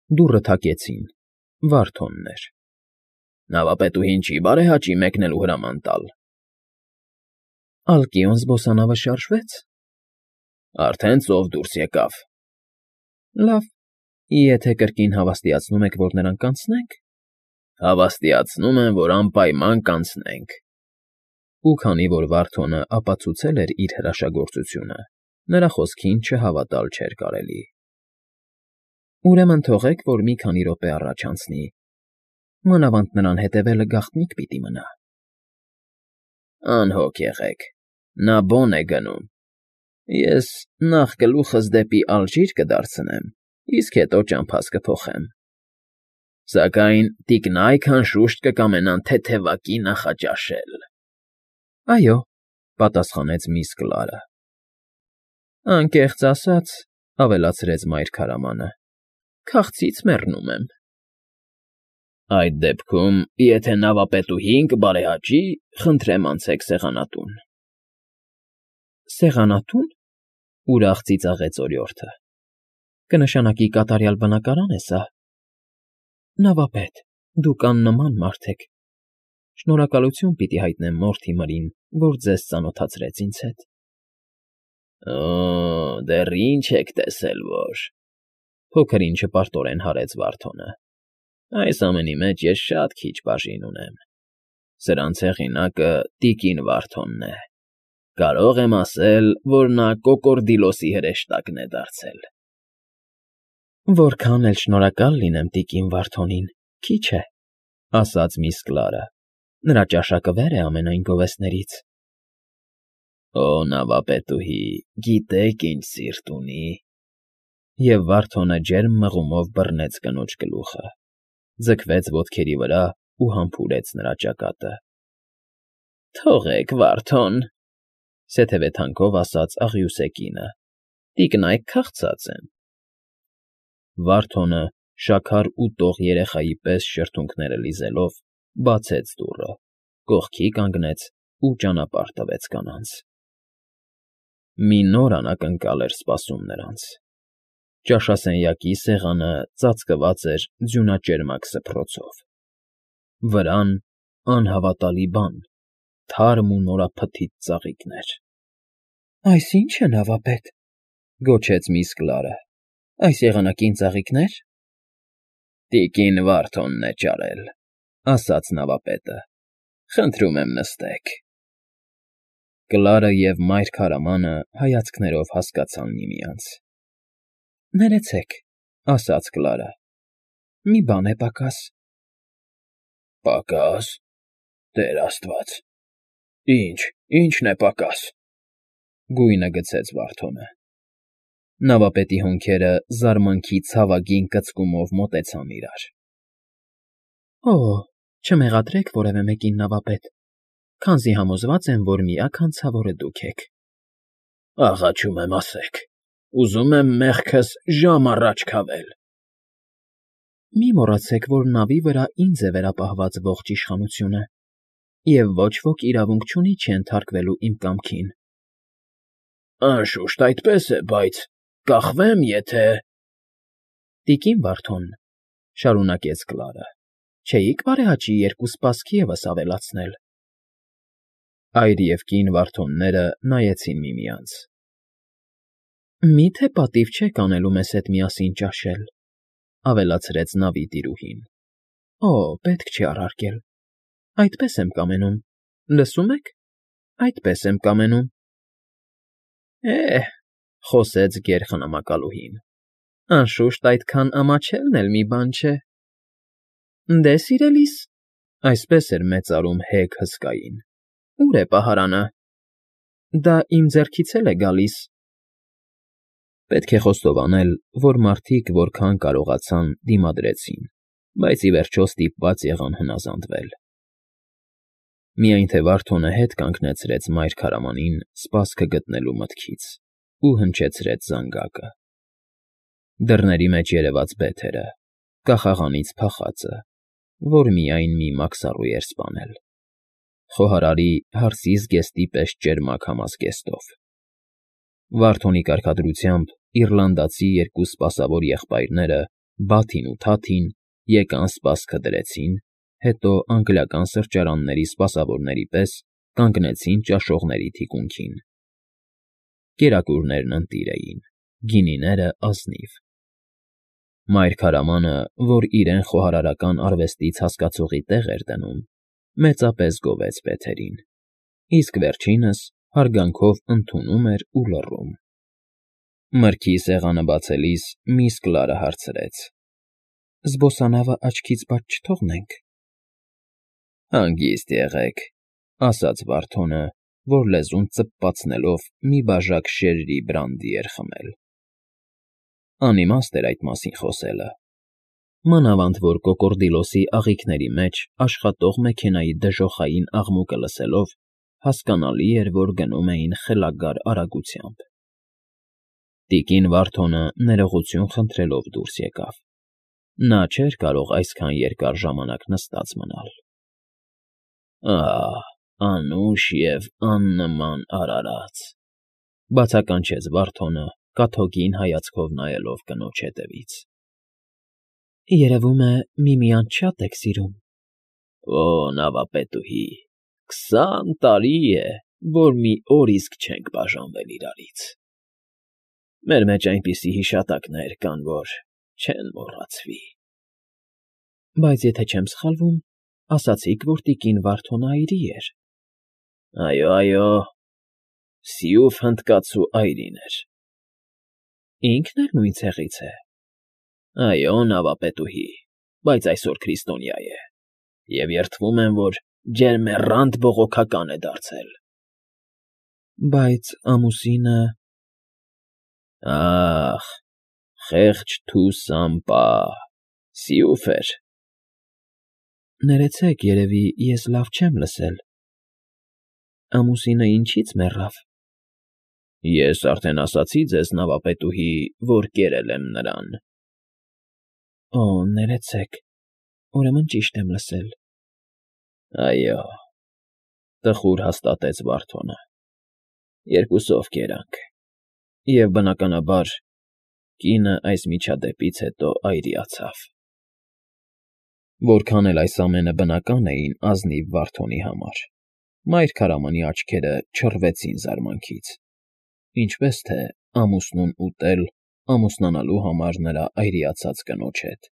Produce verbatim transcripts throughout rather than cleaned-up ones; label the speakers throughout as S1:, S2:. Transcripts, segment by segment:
S1: Դուռը թակեցին։ Վարդոնն էր։ ֊ Նավապետուհին չի՞ բարեհաճի մեկնելու հրաման տալ։ ֊ Ալկիոն զբոսանավը շարժվեց։ ֊ Արդեն ծով դուրս եկավ։ ֊ Լավ, եթե կրկին հավաստիացնում եք, որ նրան կանցնենք։ ֊ Հավաստիացնում եմ, որ անպայման կանցնենք։ Ու քանի որ Վարդոնը ապացուցել էր իր հրաշագործությունը, նրա խոսքին չհավատալ չէր կարելի։ ֊ Ուրեմն թողեք, որ մի քանի րոպե առաջ անցնի, մանավանդ նրան հետևելը գաղտնիք պիտի մնա։ ֊ Անհոգ եղեք, նա բոն է գնում։ Ես նախ գլուխս դեպի Ալժիր կդարձնեմ, իսկ հետո ճամփաս կփոխեմ։ Սակայն տիկնայք անշուշտ կկամենան թեթևակի նախաճաշել։ ֊ Այո,֊ պատասխանեց միս Կլարը։ ֊ Անկեղծ ասած,֊ ավելացրեց մայր քարամանը,֊ քաղցից մեռնում եմ։ ֊ Այդ դեպքում, եթե նավապետուհին կբարեհաճի, խնդրեմ անցեք սեղանատուն։ ֊ Սեղանատո՞ւն,֊ ուրախ ծիծաղեց օրիորդը,֊ կնշանակի կատարյալ բնակարան է սա։ ֊ Նավապետ, դուք աննման մարդ եք, շնորհակալություն պիտի հայտնեմ մորթի մրին, որ ձեզ ծանոթացրեց ինձ հետ։ ֊ Օ՜, դեռ ինչ եք տեսել, որ,֊ փոքր֊ինչը պարտորեն հարեց Վարդոնը,֊ այս ամենի մեջ ես շատ քիչ բաժին ունեմ։ Սրանց հեղինակը տիկին Վարդոնն է։ Կարող եմ ասել, որ նա կոկորդիլոսի հրեշտակն է դարձել։ ֊ Որքան էլ շնորհակալ լինեմ տիկին Վարդոնին, քիչ է,֊ ասաց միս Կլարը,֊ նրա ճաշակը վեր է ամենայն գովեստներից։ ֊ Օ, նավապետուհի, գիտեք ինչ սիրտ ունի,֊ և Վարդոնը ջերմ մղումով բռնեց կնոջ գլուխը, ձգվեց ոտքերի վրա ու համբուրեց նրա ճակատը։ ֊ Թողեք, Վարդոն,֊ սեթևեթանքով ասաց աղյուսե կինը,֊ տիկնայք քաղցած են։ Վարդոնը, շաքար ուտող երեխայի պես շրթունքները լիզելով, բացեց դուռը, կողքի կանգնեց ու ճանապարհ տվեց կանանց։ Մի նոր անակնկալ էր սպասում նրանց։ Ճաշասենյակի սեղանը ծածկված էր ձյունաճերմակ սփռոցով։ Վրան, անհավատալի բան, թարմ ու նորափթիթ ծաղիկներ։ ֊ Այս ի՞նչ է, նավապետ,֊ գոչեց միս Կլարը,֊ այս եղանակին ծաղիկնե՞ր։ ֊ Տիկին Վարդոնն է ճարել,֊ ասաց նավապետը,֊ խնդրում եմ նստեք։ Կլարը և մայր քարամանը հայացքներով հասկացան միմյանց։ ֊ Ներեցեք,֊ ասաց Կլարը,֊ մի բան է պակաս։ ֊ Պակաս… Տեր աստված… Ի՞նչ, ի՞նչն է պակաս,֊ գույնը գցեց Վարդոնը։ Նավապետի հոնքերը զարմանքի ցավագին կծկումով մոտեցան իրար։ ֊ Օ՜, չմեղադրեք որևէ մեկին, նավապետ, քանզի համոզված եմ, որ միակ հանցավորը դուք եք։ ֊ Աղաչում եմ, ասեք, ուզում եմ մեղքս ժամ առաջ քավել։ ֊ Մի մոռացեք, որ նավի վրա ինձ է վերապահված ողջ իշխանությունը, և ոչ ոք իրավունք չունի չենթարկվելու իմ կամքին։ ֊ Անշուշտ այդպես է, բայց կախվեմ, եթե… ֊ Տիկին Վարդոն,֊ շարունակեց Կլարը,֊ չէի՞ք բարեհաճի երկու սպասք ևս ավելացնել։ Այր և կին Վարդոնները նայեցին միմյանց։ ֊ Մի՞թե պատիվ չեք անելու մեզ հետ միասին ճաշել,֊ ավելացրեց նավի տիրուհին։ ֊ Օ, պետք չի առարկել… Այդպես եմ կամենում, լսում եք, այդպես եմ կամենում։ ֊ Է՜հ,֊ խոսեց գերխնամակալուհին,֊ անշուշտ այդքան ամաչելն էլ մի բան չէ։ ֊ Դե, սիրելիս,֊ այսպես էր մեծարում հեգ հսկային,֊ ո՞ւր է պահարանը։ ֊ Դա իմ ձեռքից էլ է գալիս։ Պետք է խոստովանել, որ մարդիկ որքան կարողացան դիմադրեցին, բայց ի վերջո ստիպված եղան հնազանդվել։ Միայն թե Վարդոնը հետ կանգնեցրեց մայր քարամանին սպասքը գտնելու մտքից ու հնչեցրեց զանգակը։ Դռների մեջ երևաց բեթերը, կախաղանից փախածը, որ միայն մի մաքսառու էր սպանել, խոհարարի հարսի զգեստի պես ճերմակ համազգեստով։ Վարդոնի կարգադրությամբ իռլանդացի երկու սպասավոր եղբայրները Բաթին ու Թաթին եկան սպասքը դրեցին, հետո անգլիական սրճարանների սպասավորների պես կանգնեցին ճաշողների թիկունքին. կերակուրներն ընտիր էին, գինիները՝ ազնիվ։ Մայր քարամանը, որ իրեն խոհարարական արվեստից հասկացողի տեղ էր դնում, մեծապես գովեց Բեթերին, իսկ վերջինս հարգանքով ընդունում էր ու լռում։ Մրգի սեղանը բացելիս միս Կլարը հարցրեց. «Զբոսանավը աչքից բաց չթողնենք»։ «Հանգիստ եղեք», ֊ ասաց Վարդոնը, որ լեզուն ծպպացնելով մի բաժակ շերրի բրանդի էր խմել։ Անիմաստ էր այդ մասին խոսելը, մանավանդ որ կոկորդիլոսի աղիքների մեջ աշխատող մեքենայի դժոխային աղմուկը լսելով հասկանալի էր, որ գնում էին խելագար արագությամբ։ Տիկին Վարդոնը ներողություն խնդրելով դուրս եկավ. նա չէր կարող այսքան երկար ժամանակ նստած մնալ։ «Ահ, անուշ և աննման արարած», ֊ բացականչեց Վարդոնը, կաթոկին հայացքով նայելով կնոջ ետևից։ «Երևում է, միմյանց շատ եք սիրում»։ «Օ, նավապետուհի, քսան տարի է, որ մի օր իսկ չենք բաժանվել իրարից։ Մեր մեջ այնպիսի հիշատակներ կան, որ չեն մոռացվի»։ «Բայց եթե չեմ սխալվում, ասացիք, որ տիկին Վարդոնը այրի էր»։ «Այո, այո, սիուֆ հնդկացու այրին էր»։ «Ինքն էլ նույն ցեղից է»։ «Այո, նավապետուհի, բայց այսօր քրիստոնյա է, և երդվում եմ, որ ջերմեռանդ բողոքական է դարձել»։ «Բայց ամուսինը…» «Ա՜խ, խեղճ Թուսամպա, սիուֆ էր»։ «Ներեցեք, երևի ես լավ չեմ լսել։ Ամուսինը ինչի՞ց մեռավ»։ «Ես արդեն ասացի ձեզ, նավապետուհի, որ կերել եմ նրան»։ «Օ, ներեցեք, ուրեմն ճիշտ եմ լսել»։ «Այո», ֊ տխուր հաստատեց Վարդոնը, ֊ երկուսով կերանք, և, բնականաբար, կինը այս միջադեպից հետո այրիացավ»։ Որքան էլ այս ամենը բնական էին ազնիվ Վարդոնի համար, մայր քարամանի աչքերը չռվեցին զարմանքից, ինչպես թե ամուսնուն ուտել ամուսնանալու համար նրա այրիացած կնոջ հետ։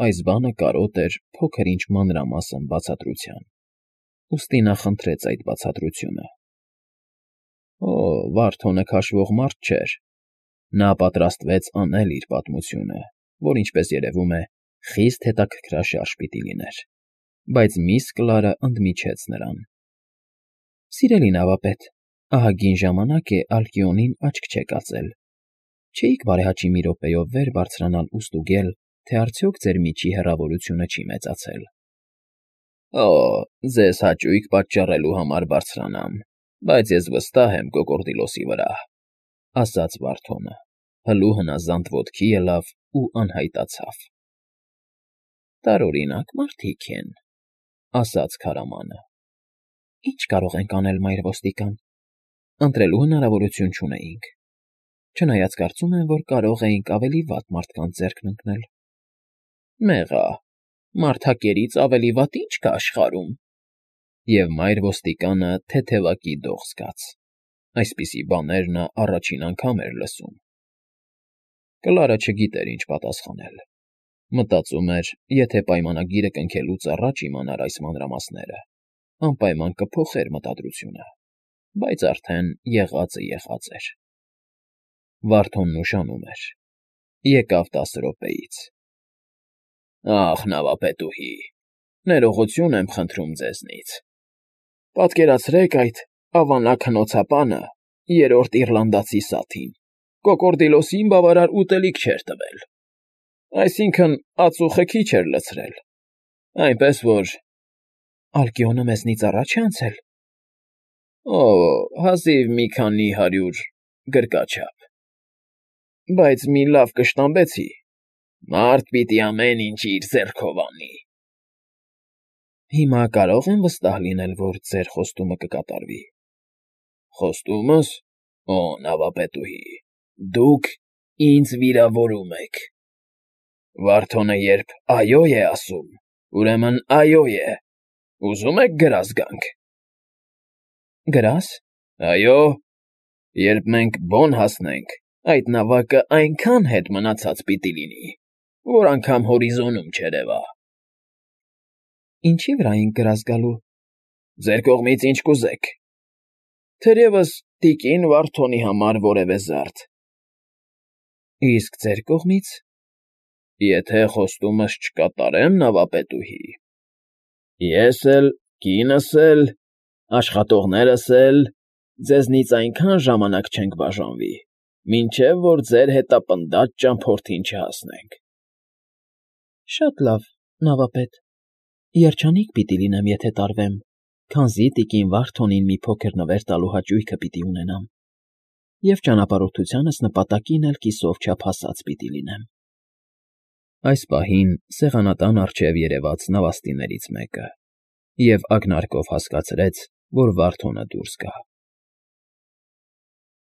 S1: Այս բանը կարոտ էր փոքր֊ինչ մանրամասն բացատրության, ուստի նա խնդրեց այդ բացատրությունը։ Օ, Վարդոնը քաշվող մարդ չէր, նա պատրաստվեց անել իր պատմությունը, որ, ինչպես երևում է, խիստ հետաքրքրաշարժ պիտի լիներ, բայց միս Կլարը ընդմիջեց նրան. «Սիրելի նավապետ, ահագին ժամանակ է Ալկիոնին աչք չեկածել, չէի՞ք բարեհաճի մի րոպեով վեր բարձրանալ ու ստուգել, թե արդյոք ձեր միջի հեռավորությունը չի մեծացել»։ «Օ, ձեզ հաճույք պատճառելու համար բարձրանամ, բայց ես վստահ եմ կոկորդիլոսի վրա», ֊ ասաց Վարդոնը, հլու հնազանդ ոտքի ելավ ու անհայտացավ։ «Տարօրինակ մարդիկ են», ֊ ասաց քարամանը։ «Ի՞նչ կարող ենք անել, մայր ոստիկան, ընտրելու հնարավորություն չունեինք, չնայած կարծում եմ, որ կարող էինք ավելի վատ մարդկանց ձեռքն ընկնել»։ «Մեղա, մարդակերից ավելի վատ ի՞նչ կա աշխարհում»։ Եվ մայր ոստիկանը թեթևակի դող զգաց. այսպիսի բաներ նա առաջին անգամ էր լսում։ Կլարը չգիտեր ինչ պատասխանել։ Մտածում էր, եթե պայմանագիրը կնքելուց առաջ իմանար այս մանրամասները, անպայման կփոխեր մտադրությունը, բայց արդեն եղածը եղած էր։ Վարդոնն ուշանում էր. եկավ տասը րոպեից։ «Ախ, նավապետուհի, ներողություն եմ խնդրում ձեզնից։ Պատկերացրեք այդ ավանակ հնոցապանը, երրորդ իռլանդացի սաթին, կոկորդիլոսին բավարար ուտելիք չէր տվել, այսինքն ածուխը քիչ էր լցրել, այնպես որ…» «Ալկիոնը մեզնից առաջ է անցել»։ «Օ, հազիվ մի քանի հարյուր գրկաչափ, բայց մի լավ կշտամբեցի, մարդ պիտի ամեն ինչ իր ձեռքով անի»։ «Հիմա կարո՞ղ եմ վստահ լինել, որ ձեր խոստումը կկատարվի»։ «Խոստումս… Օ, նավապետուհի, դուք ինձ վիրավորում եք»։ Վարդոնը երբ «այո» է ասում, ուրեմն «այո» է. ուզում եք գրազ գանք։ ֊ Գրա՞զ։ ֊ Այո, երբ մենք բոն հասնենք, այդ նավակը այնքան հետ մնացած պիտի լինի, որ անգամ հորիզոնում չերևա։ ֊ Ինչի՞ վրա ենք գրազ գալու։ ֊ Ձեր կողմից ինչ կուզեք, թերևս տիկին Վարդոնի համար որևէ զարդ։ ֊ Իսկ ձեր կողմից։ ֊ Եթե խոստումս չկատարեմ, նավապետուհի, ես էլ, կինս էլ, աշխատողներս էլ ձեզնից այնքան ժամանակ չենք բաժանվի, մինչև որ ձեր հետապնդած ճամփորդին չհասնենք։ ֊ Շատ լավ, նավապետ, երջանիկ պիտի լինեմ, եթե տարվեմ, քանզի տիկին Վարդոնին մի փոքր նվեր տալու հաճույքը պիտի ունենամ, և ճանապարհորդությանս նպատակին էլ կիսով չափ հասած պիտի լինեմ։ Այս պահին սեղանատան առջև երևաց նավաստիներից մեկը և ակնարկով հասկացրեց, որ Վարդոնը դուրս գա։